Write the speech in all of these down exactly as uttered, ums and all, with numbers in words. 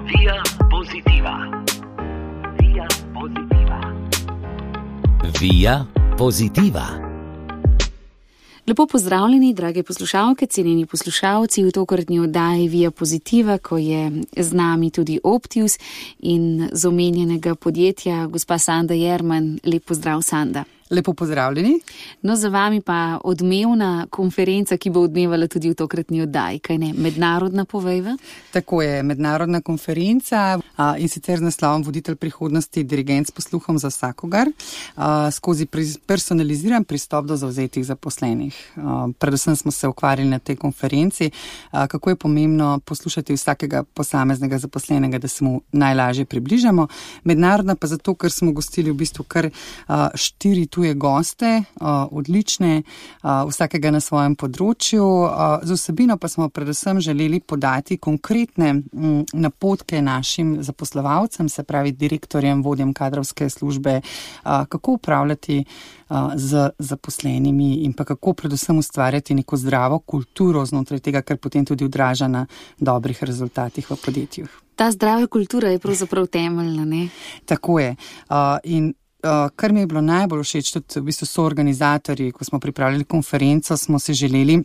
Via Positiva. Via Positiva. Via Positiva. Lepo pozdravljeni, drage poslušalke, cenjeni poslušalci v tokratni oddaji Via Positiva, ko je z nami tudi Optius in z omenjenega podjetja gospa Sanda Jerman. Lep pozdrav, Sanda. Lepo pozdravljeni. No, za vami pa odmevna konferenca, ki bo odmevala tudi v tokratni oddaji, kaj ne? Mednarodna, povejva? Tako je, mednarodna konferenca a, in sicer z naslovom Voditelj prihodnosti, dirigent s posluhom za vsakogar, a, skozi personaliziran pristop do zavzetih zaposlenih. A, predvsem smo se ukvarjali na tej konferenci, a, kako je pomembno poslušati vsakega posameznega zaposlenega, da se mu najlažje približamo. Mednarodna pa zato, ker smo gostili v bistvu kar a, štiri tuje goste, odlične, vsakega na svojem področju. Z vsebino pa smo predvsem želeli podati konkretne napotke našim zaposlovalcem, se pravi direktorjem, vodjem kadrovske službe, kako upravljati z zaposlenimi in pa kako predvsem ustvarjati neko zdravo kulturo znotraj tega, kar potem tudi odraža na dobrih rezultatih v podjetjih. Ta zdrava kultura je pravzaprav temeljna, ne? Tako je. In Uh, kar mi je bilo najbolj všeč, tudi v bistvu so organizatorji, ko smo pripravljali konferenco, smo si želeli,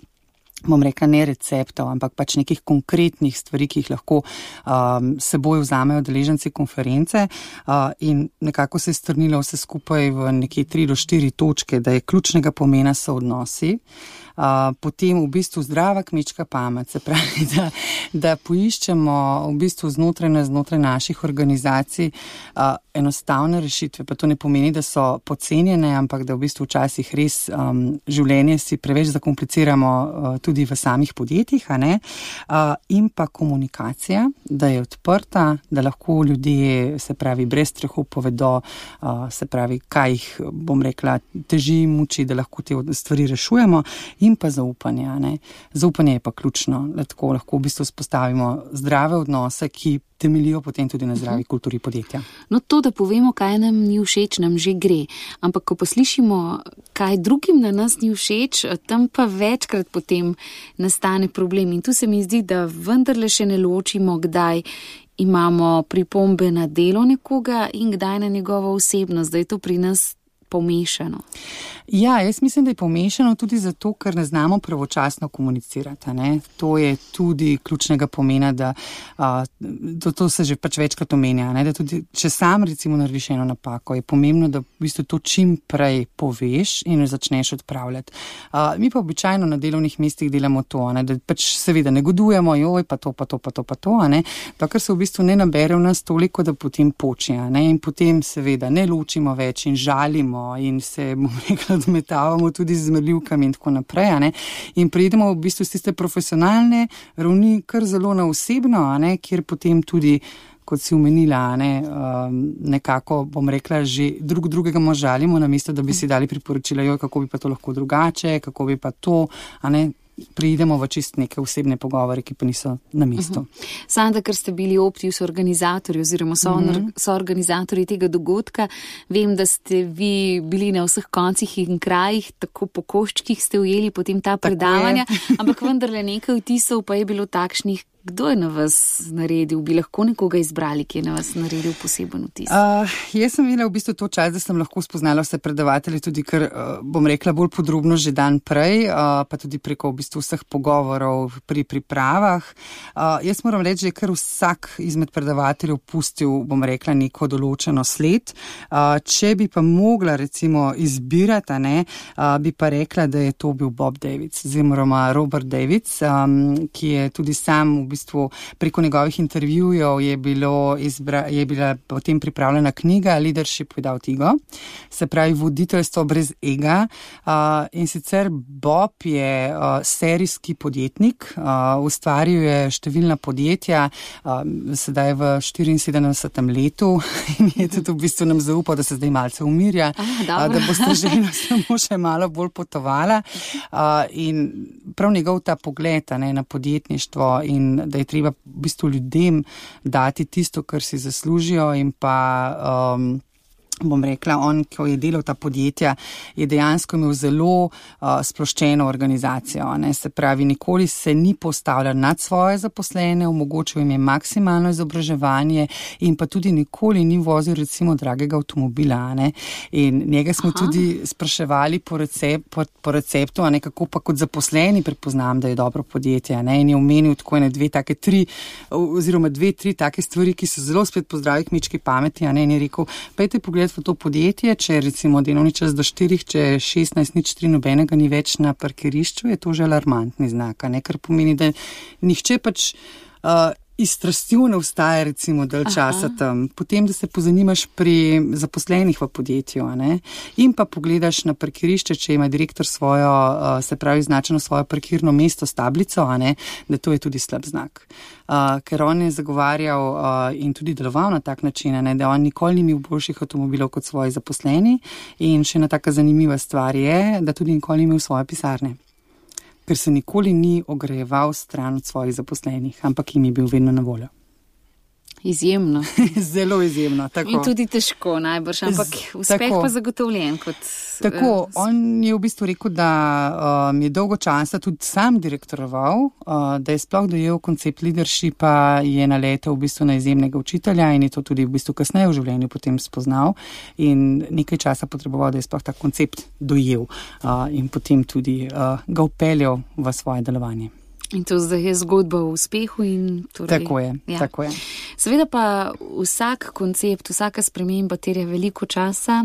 bom rekla, ne receptov, ampak pač nekih konkretnih stvari, ki jih lahko um, seboj vzamejo udeleženci konference uh, in nekako se je strnilo vse skupaj v nekje tri do štiri točke, da je ključnega pomena so odnosi. Uh, potem v bistvu zdrava kmečka pamet, se pravi, da, da poiščemo v bistvu znotraj, znotraj naših organizacij uh, enostavne rešitve, pa to ne pomeni, da so podcenjene, ampak da v bistvu včasih res um, življenje si preveč zakompliciramo uh, tudi v samih podjetjih, a ne? Uh, in pa komunikacija, da je odprta, da lahko ljudje, se pravi, brez strahu povedo, uh, se pravi, kaj jih, bom rekla, teži, muči, da lahko te stvari rešujemo. In pa zaupanje. Ne? Zaupanje je pa ključno, da tako lahko v bistvu spostavimo zdrave odnose, ki temeljijo potem tudi na zdravi kulturi podjetja. No, to, da povemo, kaj nam ni všeč, nam že gre. Ampak, ko poslišimo, kaj drugim na nas ni všeč, tam pa večkrat potem nastane problem. In tu se mi zdi, da vendarle še ne ločimo, kdaj imamo pripombe na delo nekoga in kdaj na njegovo osebnost, da je to pri nas pomešano. Ja, jaz mislim, da je pomešano tudi zato, ker ne znamo pravočasno komunicirati. Ne? To je tudi ključnega pomena, da a, to, to se že pač večkrat omenja, ne? Da tudi, če sam recimo narediš eno napako, je pomembno, da v bistvu to čim prej poveš in jo začneš odpravljati. A, mi pa običajno na delovnih mestih delamo to, ne? Da pač seveda negodujemo, joj, pa to, pa to, pa to, pa to, ne? To, kar se v bistvu ne nabere v nas toliko, da potem počne, ne? In potem seveda ne ločimo več in žalimo in se, bom rekla, odmetavamo tudi z zmerljivkami in tako naprej, a ne, in prejdemo v bistvu z tiste profesionalne ravni kar zelo na osebno, a ne, kjer potem tudi, kot si omenila, a ne, um, nekako, bom rekla, že drug drugega možalimo, namesto da bi si dali priporočila, joj, kako bi pa to lahko drugače, kako bi pa to, a ne, prijdemo v čist neke osebne pogovore, ki pa niso na mestu. Uh-huh. Sanda, ker ste bili Optius organizatorji oziroma so, uh-huh. so organizatorji tega dogodka, vem, da ste vi bili na vseh koncih in krajih, tako po koščkih ste ujeli potem ta predavanja, ampak vendarle nekaj vtisov pa je bilo takšnih. Kdo je na vas naredil? Bi lahko nekoga izbrali, ki je na vas naredil poseben vtis? Uh, jaz sem imela v bistvu to čas, da sem lahko spoznala vse predavatelje, tudi ker, uh, bom rekla, bolj podrobno že dan prej, uh, pa tudi preko v bistvu vseh pogovorov pri pripravah. Uh, jaz moram reči, da je kar vsak izmed predavateljev pustil, bom rekla, neko določeno sled. Uh, če bi pa mogla recimo izbirati, ne, uh, bi pa rekla, da je to bil Bob Davids, oziroma Robert Davids, um, ki je tudi sam v bistvu preko njegovih intervjujev je, bilo izbra, je bila potem pripravljena knjiga Leadership without ego, se pravi voditeljstvo brez ega. Uh, in sicer Bob je uh, serijski podjetnik, uh, ustvaril je številna podjetja, uh, sedaj v štiriinsedemdesetem letu in je tudi v bistvu nam zaupal, da se zdaj malce umirja, ah, uh, da bo stražena samo še malo bolj potovala. Uh, in prav njegov ta pogled, ne, na podjetništvo in da je treba v bistvu ljudem dati tisto, kar si zaslužijo in pa um, bom rekla, on, ko je delal ta podjetja, je dejansko imel zelo uh, sploščeno organizacijo. Ne? Se pravi, nikoli se ni postavljal nad svoje zaposlene, omogočil jim je maksimalno izobraževanje in pa tudi nikoli ni vozil recimo dragega avtomobila. Ne? In njega smo Aha. tudi spraševali po, recept, po, po receptu, a ne kako pa kot zaposleni prepoznam, da je dobro podjetje. Ne? In je omenil tako ene dve take tri, oziroma dve, tri take stvari, ki so zelo spet po zdravi kmečki pameti, a ne? In je rekel, pejte pogled v to podjetje, če recimo delovni čas do štirih, če šestnajst nič tri nobenega ni več na parkirišču, je to že alarmantni znak, ne? Kar pomeni, da nihče pač uh, iz strastjo ne vstaja recimo dalj časa tam. Potem, da se pozanimaš pri zaposlenih v podjetju, ne? In pa pogledaš na parkirišče, če ima direktor svojo, uh, se pravi značeno svojo parkirno mesto s tablico, a ne? Da to je tudi slab znak. Uh, ker on je zagovarjal uh, in tudi deloval na tak način, ne? Da on nikoli ni imel boljših avtomobilov kot svoji zaposleni in še ena taka zanimiva stvar je, da tudi nikoli ni imel svoje pisarne. Ker se nikoli ni ogrejeval stran od svojih zaposlenih, ampak jim je bil vedno na voljo. Izjemno. Zelo izjemno, tako. In tudi težko najbrž, ampak uspeh tako. Pa zagotovljen kot... Tako, on je v bistvu rekel, da um, je dolgo časa tudi sam direktoroval, uh, da je sploh dojel koncept leadershipa, je naletel v bistvu na izjemnega učitelja in je to tudi v bistvu kasneje v življenju potem spoznal in nekaj časa potreboval, da je sploh ta koncept dojel uh, in potem tudi uh, ga upeljal v svoje delovanje. In to zdaj je zgodba o uspehu in torej... Tako je, ja. tako je. Seveda pa vsak koncept, vsaka sprememba terja veliko časa,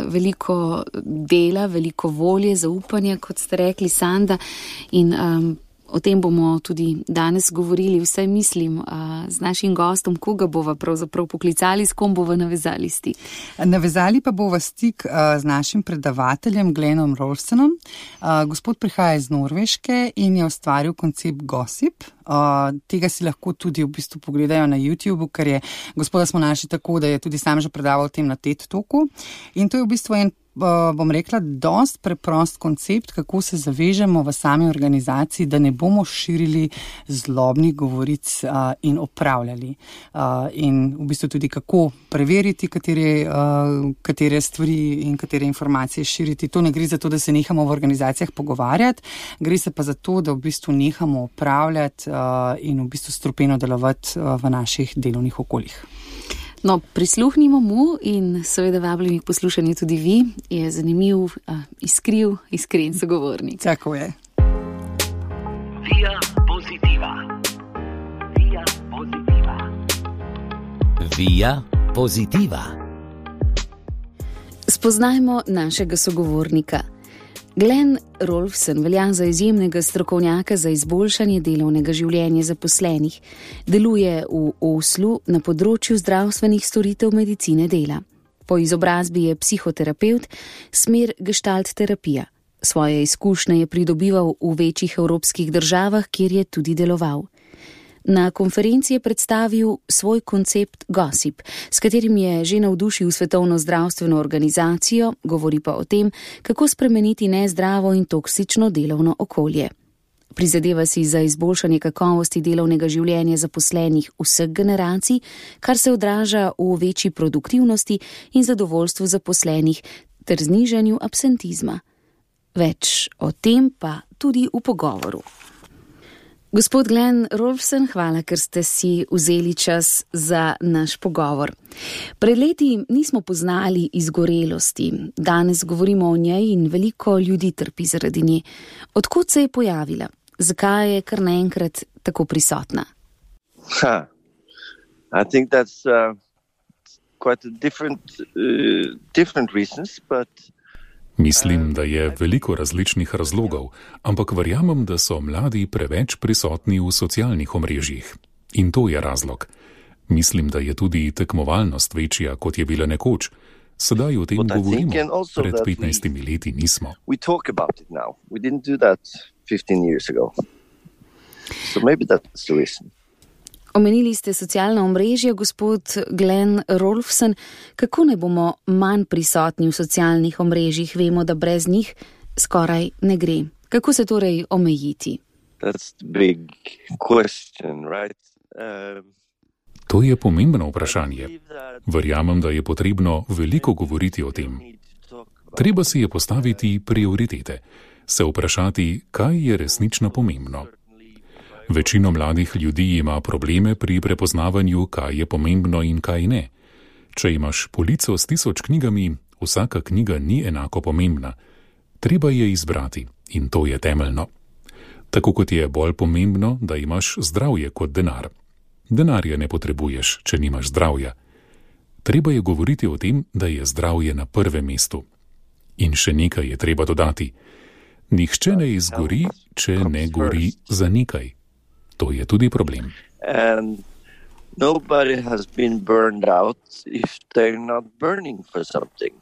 veliko dela, veliko volje, zaupanja, kot ste rekli, Sanda, in um, o tem bomo tudi danes govorili, vsaj mislim, uh, z našim gostom, koga bova pravzaprav poklicali, s kom bova navezali stik. Navezali pa bova stik uh, z našim predavateljem Glenom Rolfsenom. Uh, gospod prihaja iz Norveške in je ustvaril koncept Gossip. Uh, tega si lahko tudi v bistvu pogledajo na YouTubeu, ker je gospoda smo našli tako, da je tudi sam že predaval o tem na TED Talku. In to je v bistvu en, uh, bom rekla, dost preprost koncept, kako se zavežemo v sami organizaciji, da ne bomo širili zlobnih govoric uh, in opravljali. Uh, in v bistvu tudi kako preveriti, katere, uh, katere stvari in katere informacije širiti. To ne gre za to, da se nehamo v organizacijah pogovarjati, gre se pa za to, da v bistvu nehamo opravljati uh, in v bistvu strupeno delovati uh, v naših delovnih okoljih. No, prisluhnimo mu in seveda vabljeni k poslušanju tudi vi, je zanimiv, uh, iskriv, iskren sogovornik. Tako je. Via Positiva. Via Positiva. Via Positiva. Spoznajmo našega sogovornika. Glen Rolfsen velja za izjemnega strokovnjaka za izboljšanje delovnega življenja zaposlenih. Deluje v Oslu na področju zdravstvenih storitev medicine dela. Po izobrazbi je psihoterapevt, smer gestalt terapija. Svoje izkušnje je pridobival v večjih evropskih državah, kjer je tudi deloval. Na konferenci je predstavil svoj koncept Gossip, s katerim je že navdušil Svetovno zdravstveno organizacijo, govori pa o tem, kako spremeniti nezdravo in toksično delovno okolje. Prizadeva si za izboljšanje kakovosti delovnega življenja zaposlenih vseh generacij, kar se odraža v večji produktivnosti in zadovoljstvu zaposlenih ter znižanju absentizma. Več o tem pa tudi v pogovoru. Gospod Glen Rolfsen, hvala, ker ste si vzeli čas za naš pogovor. Pred leti nismo poznali izgorelosti, danes govorimo o njej in veliko ljudi trpi zaradi nje. Odkot se je pojavila? Zakaj je kar naenkrat tako prisotna? Huh. I think that's uh, quite a different, uh, different reasons, but... Mislim, da je veliko različnih razlogov, ampak verjamem, da so mladi preveč prisotni v socialnih omrežjih. In to je razlog. Mislim, da je tudi tekmovalnost večja, kot je bila nekoč. Sedaj o tem govorimo, pred petnajstimi leti nismo. We talk about it now. We didn't do that fifteen years ago. So maybe that's the reason. Omenili ste socialna omrežja, gospod Glen Rolfsen. Kako ne bomo manj prisotni v socialnih omrežjih? Vemo, da brez njih skoraj ne gre. Kako se torej omejiti? That's the big question, right? Uh, To je pomembno vprašanje. Verjamem, da je potrebno veliko govoriti o tem. Treba si je postaviti prioritete, se vprašati, kaj je resnično pomembno. Večino mladih ljudi ima probleme pri prepoznavanju, kaj je pomembno in kaj ne. Če imaš polico s tisoč knjigami, vsaka knjiga ni enako pomembna. Treba je izbrati in to je temeljno. Tako kot je bolj pomembno, da imaš zdravje kot denar. Denarja ne potrebuješ, če nimaš zdravja. Treba je govoriti o tem, da je zdravje na prvem mestu. In še nekaj je treba dodati. Nihče ne izgori, če ne gori za nekaj. To je tudi problem. And nobody has been burned out if they're not burning for something.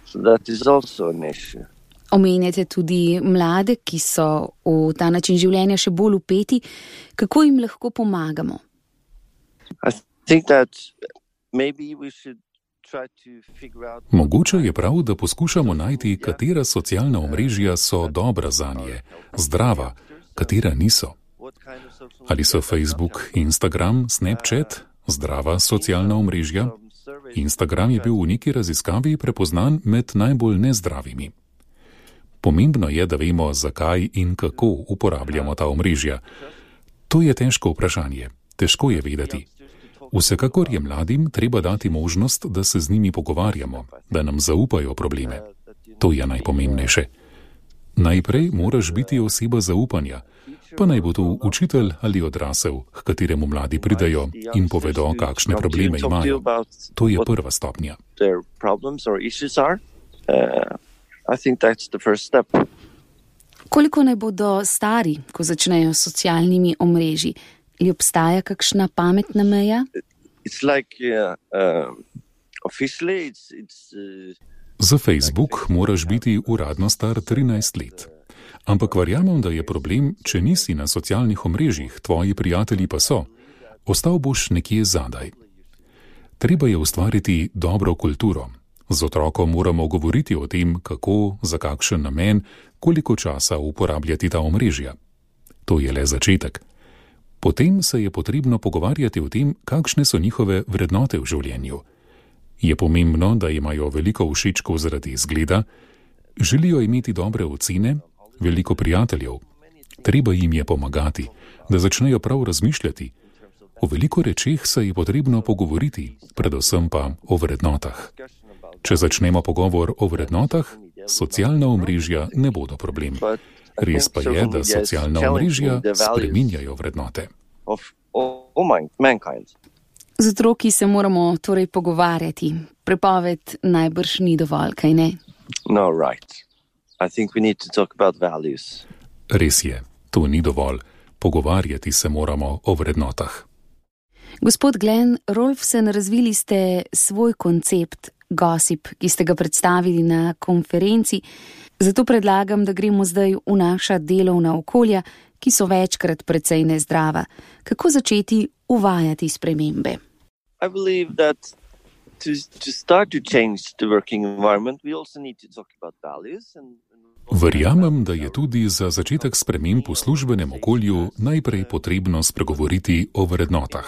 So that is also an issue. Omenjate tudi mlade, ki so v ta način življenja še bolj vpeti. Kako jim lahko pomagamo? I think that maybe we should try to figure out... Mogoče je prav, da poskušamo najti, katera socialna omrežja so dobra zanje, zdrava, katera niso. Ali so Facebook, Instagram, Snapchat zdrava socialna omrežja? Instagram je bil v neki raziskavi prepoznan med najbolj nezdravimi. Pomembno je, da vemo, zakaj in kako uporabljamo ta omrežja. To je težko vprašanje, težko je vedeti. Vsekakor je mladim treba dati možnost, da se z njimi pogovarjamo, da nam zaupajo probleme. To je najpomembnejše. Najprej moraš biti oseba zaupanja, pa naj bo to učitelj ali odrasel, k kateremu mladi pridejo in povedo, kakšne probleme imajo. To je prva stopnja. Koliko naj bodo stari, ko začnejo s socialnimi omrežji? Ali obstaja kakšna pametna meja? Za Facebook moraš biti uradno star trinajst let. Ampak verjamem, da je problem, če nisi na socialnih omrežjih, tvoji prijatelji pa so. Ostal boš nekje zadaj. Treba je ustvariti dobro kulturo. Z otrokom moramo govoriti o tem, kako, za kakšen namen, koliko časa uporabljati ta omrežja. To je le začetek. Potem se je potrebno pogovarjati o tem, kakšne so njihove vrednote v življenju. Je pomembno, da imajo veliko všečkov zaradi izgleda, želijo imeti dobre ocene, veliko prijateljev. Treba jim je pomagati, da začnejo prav razmišljati. O veliko rečeh se je potrebno pogovoriti, predvsem pa o vrednotah. Če začnemo pogovor o vrednotah, socialna omrežja ne bodo problem. Res pa je, da socialna omrežja spreminjajo vrednote. Z otroki se moramo torej pogovarjati. Prepoved najbrž ni dovolj, kaj ne? No, right. I think we need to talk about values. Res je, to ni dovolj. Pogovarjati se moramo o vrednotah. Gospod Glenn Rolfsen, razvili ste svoj koncept Gossip, ki ste ga predstavili na konferenci. Zato predlagam, da gremo zdaj v naša delovna okolja, ki so večkrat precej nezdrava. Kako začeti uvajati spremembe? I believe that to, to start to change the working environment, we also need to talk about values and Verjamem, da je tudi za začetek sprememb v službenem okolju najprej potrebno spregovoriti o vrednotah.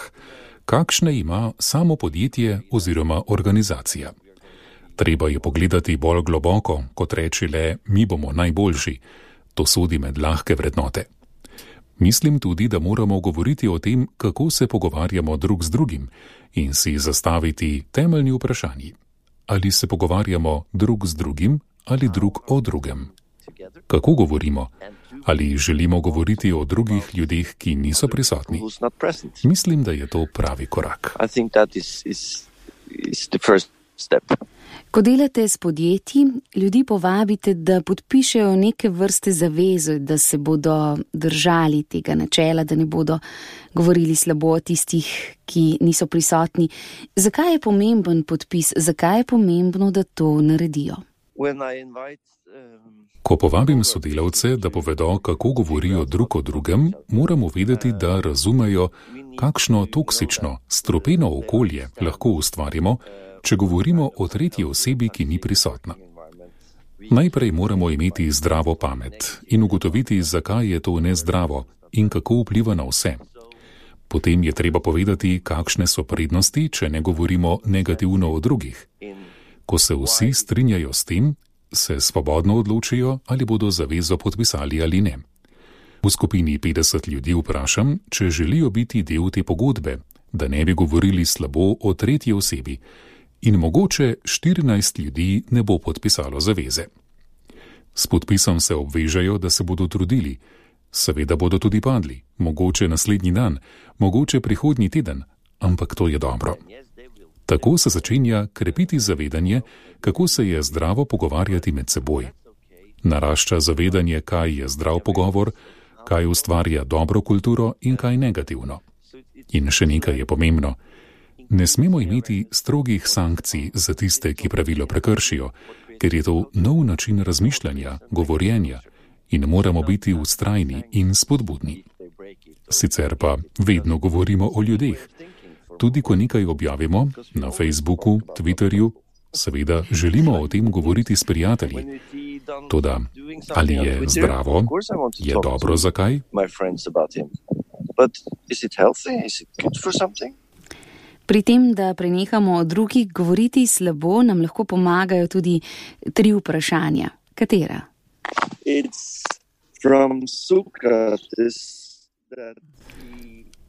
Kakšne ima samo podjetje oziroma organizacija? Treba je pogledati bolj globoko, kot reči le, mi bomo najboljši. To sodi med lahke vrednote. Mislim tudi, da moramo govoriti o tem, kako se pogovarjamo drug z drugim in si zastaviti temeljni vprašanji. Ali se pogovarjamo drug z drugim ali drug o drugem? Kako govorimo? Ali želimo govoriti o drugih ljudeh, ki niso prisotni? Mislim, da je to pravi korak. Ko delate s podjetji, ljudi povabite, da podpišejo neke vrste zaveze, da se bodo držali tega načela, da ne bodo govorili slabo o tistih, ki niso prisotni. Zakaj je pomemben podpis? Zakaj je pomembno, da to naredijo? Ko povabim sodelavce, da povedo, kako govorijo drug o drugem, moramo vedeti, da razumejo, kakšno toksično, strupeno okolje lahko ustvarimo, če govorimo o tretji osebi, ki ni prisotna. Najprej moramo imeti zdravo pamet in ugotoviti, zakaj je to nezdravo in kako vpliva na vse. Potem je treba povedati, kakšne so prednosti, če ne govorimo negativno o drugih. Ko se vsi strinjajo s tem, se svobodno odločijo, ali bodo zavezo podpisali ali ne. V skupini petdeset ljudi vprašam, če želijo biti del te pogodbe, da ne bi govorili slabo o tretji osebi, in mogoče štirinajst ljudi ne bo podpisalo zaveze. S podpisom se obvežejo, da se bodo trudili. Seveda bodo tudi padli, mogoče naslednji dan, mogoče prihodnji teden, ampak to je dobro. Tako se začenja krepiti zavedanje, kako se je zdravo pogovarjati med seboj. Narašča zavedanje, kaj je zdrav pogovor, kaj ustvarja dobro kulturo in kaj negativno. In še nekaj je pomembno. Ne smemo imeti strogih sankcij za tiste, ki pravilo prekršijo, ker je to nov način razmišljanja, govorjenja in moramo biti vztrajni in spodbudni. Sicer pa vedno govorimo o ljudeh. Tudi ko nekaj objavimo na Facebooku, Twitterju, seveda želimo o tem govoriti s prijatelji. Toda, ali je zdravo, je dobro za kaj? Pri tem, da prenehamo o drugih govoriti slabo, nam lahko pomagajo tudi tri vprašanja. Katera?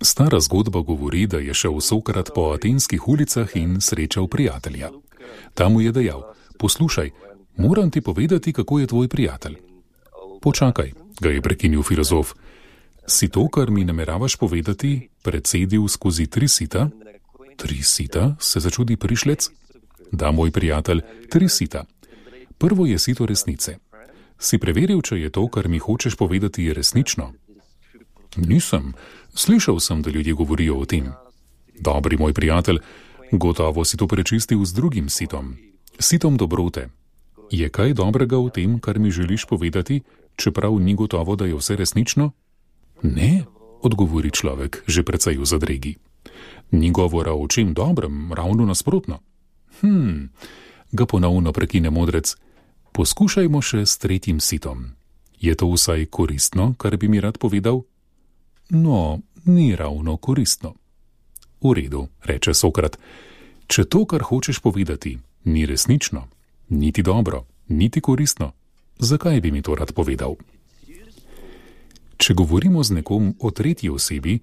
Stara zgodba govori, da je šel Sokrat po atenskih ulicah in srečal prijatelja. Tam mu je dejal: poslušaj, moram ti povedati, kako je tvoj prijatelj. Počakaj, ga je prekinil filozof. Si to, kar mi nameravaš povedati, precedil skozi tri sita? Tri sita, se začudi prišlec? Da, moj prijatelj, tri sita. Prvo je sito resnice. Si preveril, če je to, kar mi hočeš povedati, resnično? Nisem. Slišal sem, da ljudje govorijo o tem. Dobri moj prijatelj, gotovo si to prečistil z drugim sitom. Sitom dobrote. Je kaj dobrega v tem, kar mi želiš povedati, čeprav ni gotovo, da je vse resnično? Ne, odgovori človek, že precej v zadregi. Ni govora o čem dobrem, ravno nasprotno. Hm, ga ponovno prekine modrec. Poskušajmo še s tretjim sitom. Je to vsaj koristno, kar bi mi rad povedal? No, ni ravno koristno. V redu, reče Sokrat. Če to, kar hočeš povedati, ni resnično, niti dobro, niti koristno, zakaj bi mi to rad povedal? Če govorimo z nekom o tretji osebi,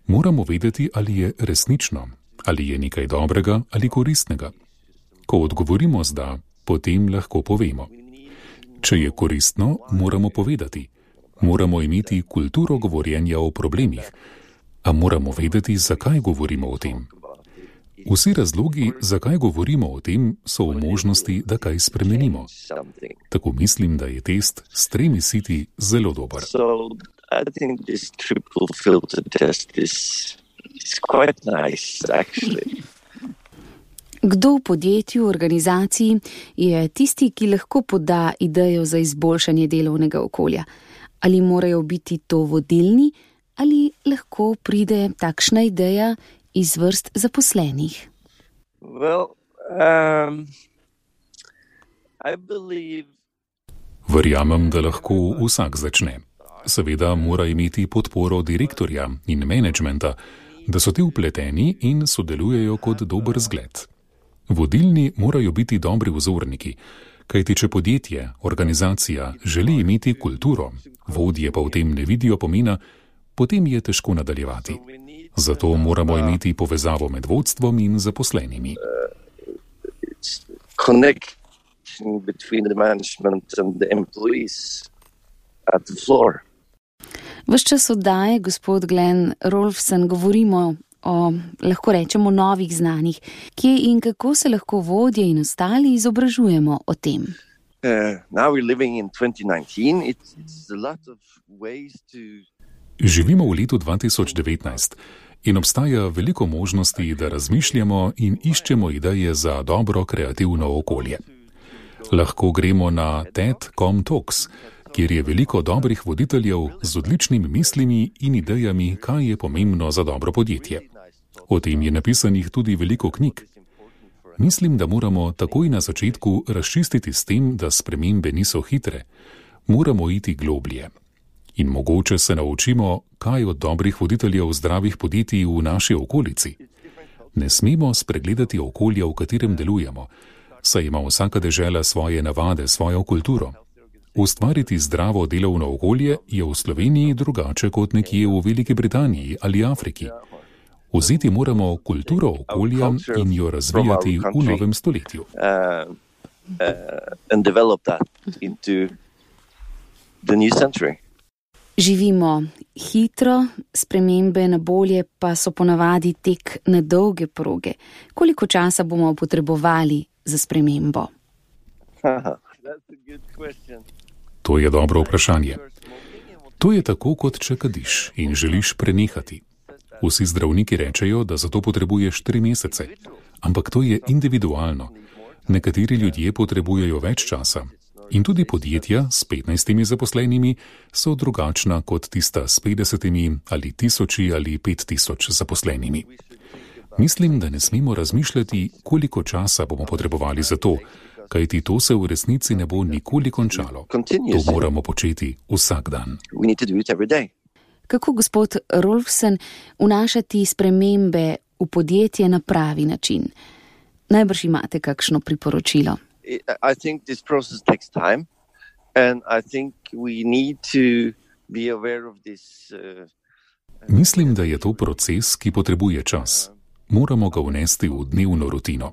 moramo vedeti, ali je resnično, ali je nekaj dobrega ali koristnega. Ko odgovorimo z da, potem lahko povemo. Če je koristno, moramo povedati. Moramo imeti kulturo govorjenja o problemih, a moramo vedeti, zakaj govorimo o tem. Vsi razlogi, zakaj govorimo o tem, so v možnosti, da kaj spremenimo. Tako mislim, da je test s tremi siti zelo dober. I think this triple filter test is, is quite nice, actually. Kdo v podjetju, organizaciji je tisti, ki lahko poda idejo za izboljšanje delovnega okolja? Ali morajo biti to vodilni, ali lahko pride takšna ideja iz vrst zaposlenih? Well, um, I believe... Verjamem, da lahko vsak začne. Seveda mora imeti podporo direktorja in menedžmenta, da so ti vpleteni in sodelujejo kot dober zgled. Vodilni morajo biti dobri vzorniki, kajti če podjetje, organizacija želi imeti kulturo, vodje pa v tem ne vidijo pomena, potem je težko nadaljevati. Zato moramo imeti povezavo med vodstvom in zaposlenimi. Connection between the management and the employees at the floor. Ves čas oddaje, gospod Glenn Rolfsen, govorimo o, lahko rečemo, novih znanjih. Kje in kako se lahko vodje in ostali izobražujemo o tem? Uh, now we're living in twenty nineteen. It's, it's a lot of ways to... Živimo v letu dva tisoč devetnajst in obstaja veliko možnosti, da razmišljamo in iščemo ideje za dobro kreativno okolje. Lahko gremo na TED dot com Talks, kjer je veliko dobrih voditeljev z odličnimi mislimi in idejami, kaj je pomembno za dobro podjetje. O tem je napisanih tudi veliko knjig. Mislim, da moramo takoj na začetku razčistiti s tem, da spremembe niso hitre. Moramo iti globlje. In mogoče se naučimo, kaj od dobrih voditeljev zdravih podjetij v naši okolici. Ne smemo spregledati okolja, v katerem delujemo, saj ima vsaka dežela svoje navade, svojo kulturo. Ustvariti zdravo delovno okolje je v Sloveniji drugače kot nekje v Veliki Britaniji ali Afriki. Vzeti moramo kulturo okolja in jo razvijati v novem stoletju. Uh, uh, and develop that into the new century. Živimo hitro, spremembe na bolje pa so ponavadi tek na dolge proge. Koliko časa bomo potrebovali za spremembo? To je dobro vprašanje. To je tako, kot če kadiš in želiš prenehati. Vsi zdravniki rečejo, da za to potrebuješ tri mesece, ampak to je individualno. Nekateri ljudje potrebujejo več časa. In tudi podjetja s petnajstimi zaposlenimi so drugačna kot tista s petdesetimi ali tisoči ali pet tisoč zaposlenimi. Mislim, da ne smemo razmišljati, koliko časa bomo potrebovali za to, kajti to se v resnici ne bo nikoli končalo. To moramo početi vsak dan. Kako, gospod Rolfsen, vnašati spremembe v podjetje na pravi način? Najbrž imate kakšno priporočilo? I think this process takes time, and I think we need to be aware of this. Uh, Mislim, da je to proces, ki potrebuje čas. Moramo ga vnesti v dnevno rutino.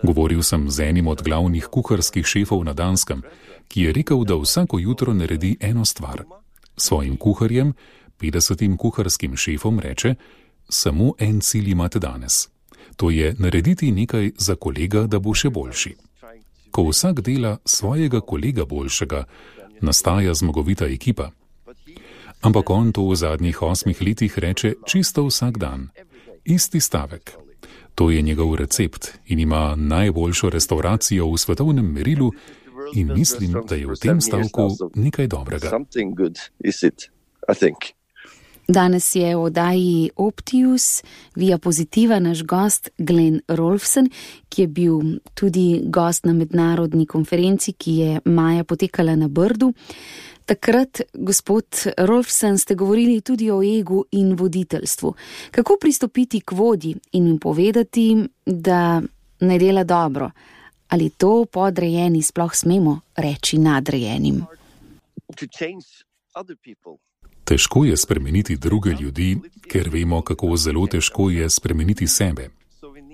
Govoril sem z enim od glavnih kuharskih šefov na Danskem, ki je rekel, da vsako jutro naredi eno stvar. Svojim kuharjem, petdesetim kuharskim šefom reče, samo en cilj imate danes. To je narediti nekaj za kolega, da bo še boljši. Ko vsak dela svojega kolega boljšega, nastaja zmagovita ekipa. Ampak on to v zadnjih osmih letih reče čisto vsak dan. Isti stavek. To je njegov recept in ima najboljšo restauracijo v svetovnem merilu in mislim, da je v tem stavku nekaj dobrega. Danes je v oddaji Optius Via Positiva naš gost Glenn Rolfsen, ki je bil tudi gost na mednarodni konferenci, ki je maja potekala na Brdu. Takrat, gospod Rolfsen, ste govorili tudi o egu in voditeljstvu. Kako pristopiti k vodji in jim povedati, da ne dela dobro? Ali to podrejeni sploh smemo reči nadrejenim? Težko je spremeniti druge ljudi, ker vemo, kako zelo težko je spremeniti sebe.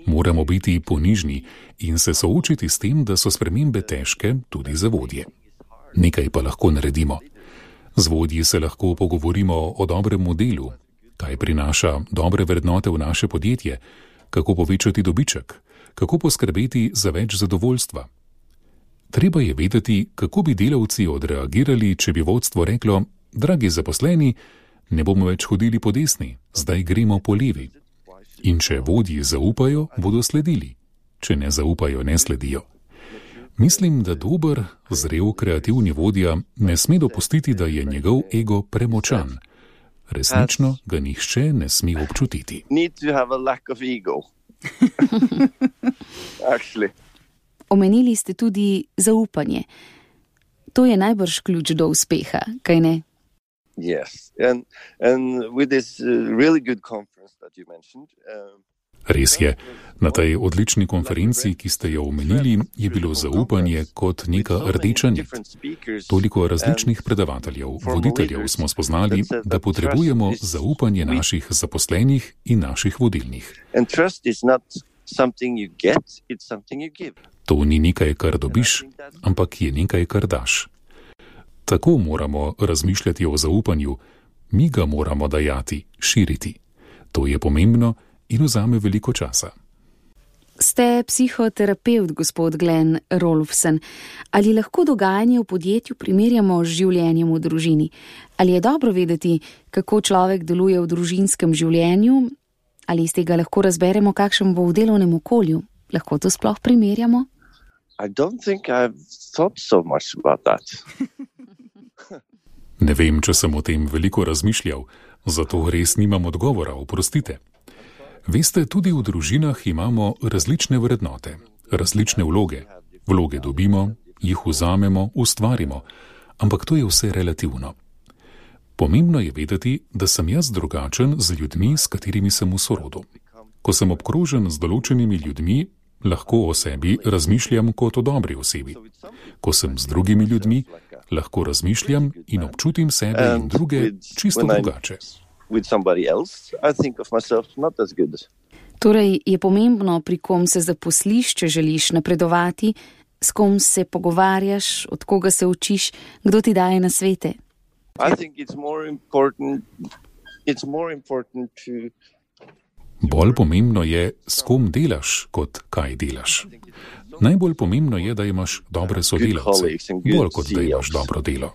Moramo biti ponižni in se soočiti s tem, da so spremembe težke tudi za vodje. Nekaj pa lahko naredimo. Z vodji se lahko pogovorimo o dobrem modelu, kaj prinaša dobre vrednote v naše podjetje, kako povečati dobiček, kako poskrbeti za več zadovoljstva. Treba je vedeti, kako bi delavci odreagirali, če bi vodstvo reklo: dragi zaposleni, ne bomo več hodili po desni, zdaj gremo po levi. In če vodji zaupajo, bodo sledili. Če ne zaupajo, ne sledijo. Mislim, da dober, zrel, kreativni vodja ne sme dopustiti, da je njegov ego premočan. Resnično ga nihče ne sme občutiti. Omenili ste tudi zaupanje. To je najbrž ključ do uspeha, kaj ne? Yes, and and with this uh, really good conference that you mentioned. Uh, Res je, na tej odlični konferenci, ki ste jo omenili, je bilo zaupanje kot neka rdeča nit. Toliko različnih predavateljev, voditeljev smo spoznali, da potrebujemo zaupanje naših zaposlenih in naših vodilnih. To ni nekaj, kar dobiš, ampak je nekaj, kar daš. Tako moramo razmišljati o zaupanju, mi ga moramo dajati, širiti. To je pomembno in vzame veliko časa. Ste psihoterapevt, gospod Glenn Rolfsen. Ali lahko dogajanje v podjetju primerjamo z življenjem v družini? Ali je dobro vedeti, kako človek deluje v družinskem življenju? Ali iz tega lahko razberemo, kakšen bo v delovnem okolju? Lahko to sploh primerjamo? I don't think I've thought so much about that. Ne vem, če sem o tem veliko razmišljal, zato res nimam odgovora, oprostite. Veste, tudi v družinah imamo različne vrednote, različne vloge. Vloge dobimo, jih vzamemo, ustvarimo, ampak to je vse relativno. Pomembno je vedeti, da sem jaz drugačen z ljudmi, s katerimi sem v sorodu. Ko sem obkrožen z določenimi ljudmi, lahko o sebi razmišljam kot o dobri osebi. Ko sem z drugimi ljudmi, lahko razmišljam in občutim sebe in druge čisto drugače. Torej je pomembno, pri kom se zaposliš, če želiš napredovati, s kom se pogovarjaš, od koga se učiš, kdo ti daje nasvete. Bolj pomembno je, s kom delaš, kot kaj delaš. Najbolj pomembno je, da imaš dobre sodelavce, bolj kot da imaš dobro delo.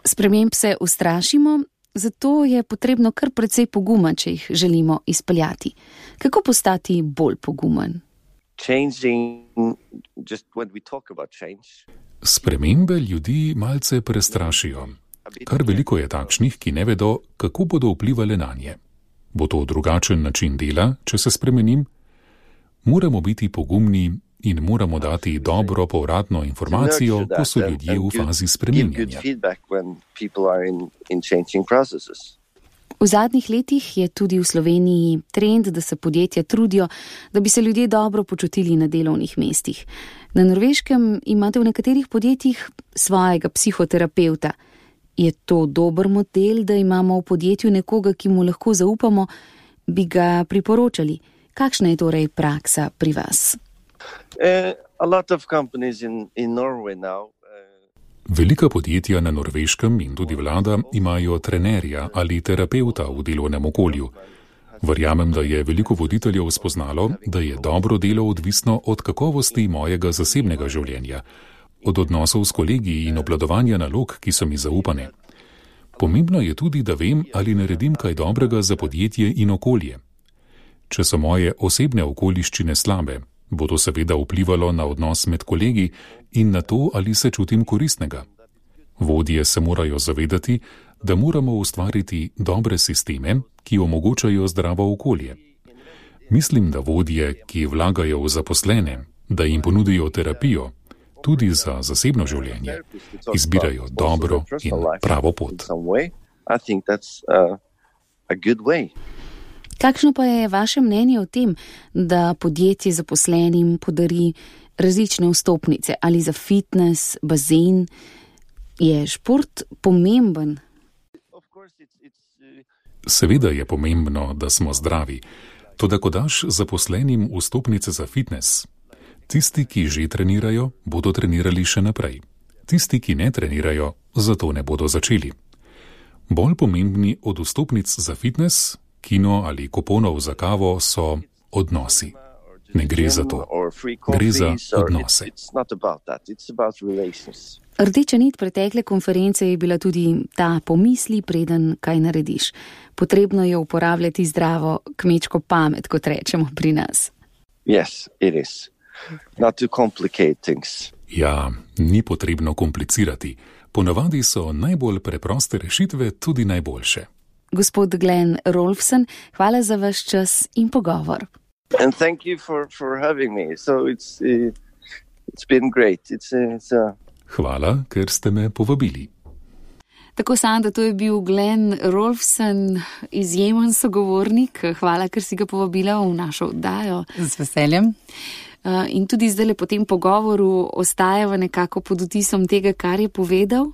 Sprememb se ustrašimo, zato je potrebno kar precej poguma, če jih želimo izpeljati. Kako postati bolj pogumen? Spremembe ljudi malce prestrašijo. Kar veliko je takšnih, ki ne vedo, kako bodo vplivali nanje. Bo to drugačen način dela, če se spremenim? Moramo biti pogumni in moramo dati dobro povratno informacijo, ko so ljudje v fazi spreminjanja. V zadnjih letih je tudi v Sloveniji trend, da se podjetja trudijo, da bi se ljudje dobro počutili na delovnih mestih. Na Norveškem imate v nekaterih podjetjih svojega psihoterapevta. Je to dober model, da imamo v podjetju nekoga, ki mu lahko zaupamo, bi ga priporočali? Kakšna je torej praksa pri vas? Velika podjetja na Norveškem in tudi vlada imajo trenerja ali terapeuta v delovnem okolju. Verjamem, da je veliko voditeljev spoznalo, da je dobro delo odvisno od kakovosti mojega zasebnega življenja, od odnosov s kolegi in obvladovanja nalog, ki so mi zaupane. Pomembno je tudi, da vem, ali naredim kaj dobrega za podjetje in okolje. Če so moje osebne okoliščine slabe, bo to seveda vplivalo na odnos med kolegi in na to, ali se čutim koristnega. Vodje se morajo zavedati, da moramo ustvariti dobre sisteme, ki omogočajo zdravo okolje. Mislim, da vodje, ki vlagajo v zaposlene, da jim ponudijo terapijo, tudi za zasebno življenje, izbirajo dobro in pravo pot. Kakšno pa je vaše mnenje o tem, da podjetje zaposlenim podari različne vstopnice ali za fitness, bazen? Je šport pomemben? Seveda je pomembno, da smo zdravi. Toda ko daš zaposlenim vstopnice za fitness, tisti, ki že trenirajo, bodo trenirali še naprej. Tisti, ki ne trenirajo, zato ne bodo začeli. Bolj pomembni od vstopnic za fitness, kino ali kuponov za kavo so odnosi. Ne gre za to. Gre za odnose. Rdeča nit pretekle konference je bila tudi ta pomisli, preden kaj narediš. Potrebno je uporabljati zdravo kmečko pamet, kot rečemo pri nas. Yes, it is. Not to complicate things. Ja, ni potrebno komplicirati. Ponavadi so najbolj preproste rešitve tudi najboljše. Gospod Glenn Rolfsen, hvala za vaš čas in pogovor. And thank you for, for having me. So it's, uh, it's been great. It's, uh, it's, uh... Hvala, ker ste me povabili. Tako, Sanda, to je bil Glenn Rolfsen, izjemen sogovornik. Hvala, ker si ga povabila v našo oddajo. Z veseljem. In tudi zdaj po tem pogovoru ostajava nekako pod vtisom tega, kar je povedal.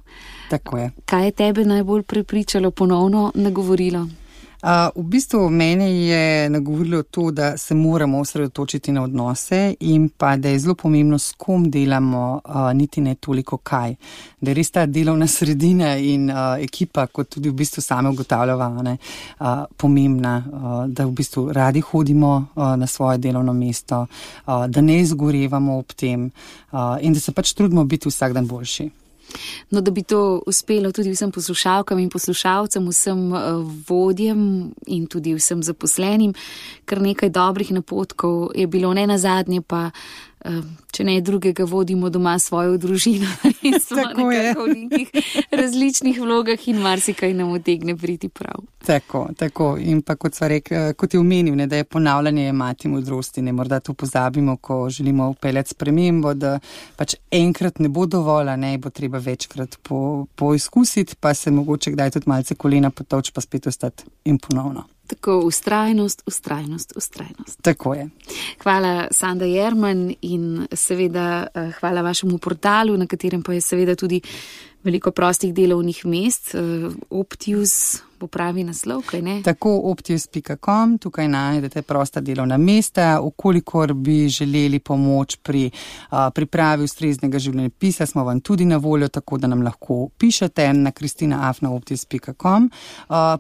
Tako je. Kaj je tebe najbolj prepričalo, ponovno nagovorilo? Uh, v bistvu mene je nagovorilo to, da se moramo osredotočiti na odnose in pa, da je zelo pomembno, s kom delamo, uh, niti ne toliko kaj. Da je res ta delovna sredina in uh, ekipa, kot tudi v bistvu same ugotavljava, ne, uh, pomembna, uh, da v bistvu radi hodimo uh, na svoje delovno mesto, uh, da ne izgorevamo ob tem uh, in da se pač trudimo biti vsak dan boljši. No, da bi to uspelo tudi vsem poslušalkam in poslušalcem, vsem vodjem in tudi vsem zaposlenim, kar nekaj dobrih napotkov je bilo, ne nazadnje pa če ne drugega, vodimo doma svojo družino in smo nekako v nekih različnih vlogah in marsikaj nam utegne priti prav. Tako, tako. In pa kot sva rekla, kot je omenil, ne, da je ponavljanje mati modrosti, ne, morda to pozabimo, ko želimo upeljati spremembo, da pač enkrat ne bo dovolj, ne, bo treba večkrat po, poizkusiti, pa se mogoče kdaj tudi malce kolena potovč, pa spet ostati in ponovno. Tako, ustrajnost, ustrajnost, ustrajnost. Tako je. Hvala, Sanda Jerman, in seveda hvala vašemu portalu, na katerem pa je seveda tudi veliko prostih delovnih mest. Optius bo pravi naslov, kaj ne? Tako, optius pika com, tukaj najdete prosta delovna mesta. Okolikor bi želeli pomoč pri a, pripravi ustreznega življenjepisa, smo vam tudi na voljo, tako da nam lahko pišete na kristina afna optius pika com.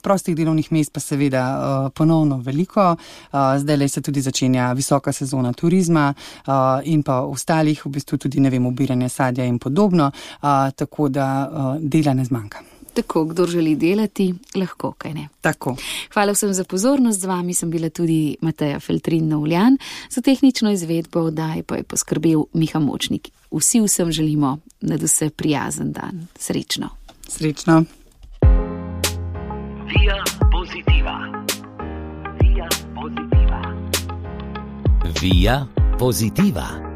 Prostih delovnih mest pa seveda a, ponovno veliko. Zdaj le se tudi začenja visoka sezona turizma a, in pa ostalih, v bistvu tudi, ne vem, obiranja sadja in podobno, a, tako da a, dela ne zmanjka. Tako, kdo želi delati, lahko, kaj ne. Tako. Hvala vsem za pozornost, z vami sem bila tudi Mateja Feltrin-Novljan, za tehnično izvedbo oddaje pa je poskrbel Miha Močnik. Vsi vsem želimo nadvse prijazen dan. Srečno. Srečno. Via Positiva. Via Positiva. Via Positiva.